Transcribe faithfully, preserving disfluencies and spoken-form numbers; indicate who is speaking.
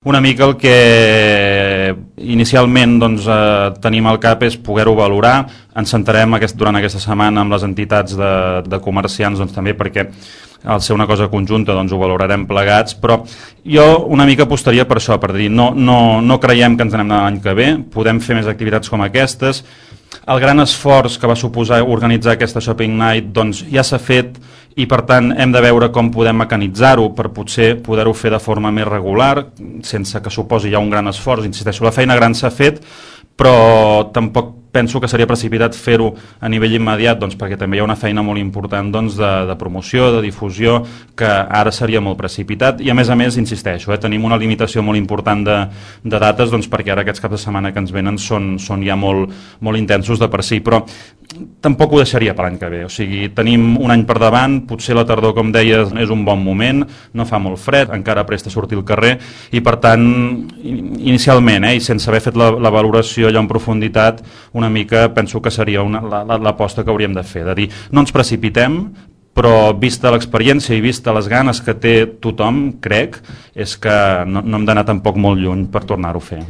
Speaker 1: Una mica el que inicialment doncs, eh, tenim al cap és poder-ho valorar. Ens sentarem aquest, durant aquesta setmana amb les entitats de, de comerciants doncs, també perquè al ser una cosa conjunta doncs, ho valorarem plegats, però jo una mica apostaria per això, per dir, no, no, no creiem que ens anem l'any que ve, podem fer més activitats com aquestes. El gran esforç que va suposar organitzar aquesta Shopping Night doncs, ja s'ha fet i per tant hem de veure com podem mecanitzar-ho per potser poder-ho fer de forma més regular, sense que suposi ja un gran esforç. Insisteixo, la feina gran s'ha fet, però tampoc penso que seria precipitat fer-ho a nivell immediat, doncs, perquè també hi ha una feina molt important doncs, de, de promoció, de difusió, que ara seria molt precipitat i a més a més, insisteixo, eh, tenim una limitació molt important de, de dates doncs, perquè ara aquests caps de setmana que ens venen són, són ja molt, molt intensos de per si, però tampoc ho deixaria per l'any que ve, o sigui, tenim un any per davant, potser la tardor, com deies, és un bon moment, no fa molt fred, encara presta a sortir al carrer i per tant, inicialment, eh, i sense haver fet la, la valoració allà en profunditat, una mica penso que seria l'aposta que hauríem de fer, de dir, no ens precipitem, però vista l'experiència i vista les ganes que té tothom, crec, és que no, no hem d'anar tampoc molt lluny per tornar-ho a fer.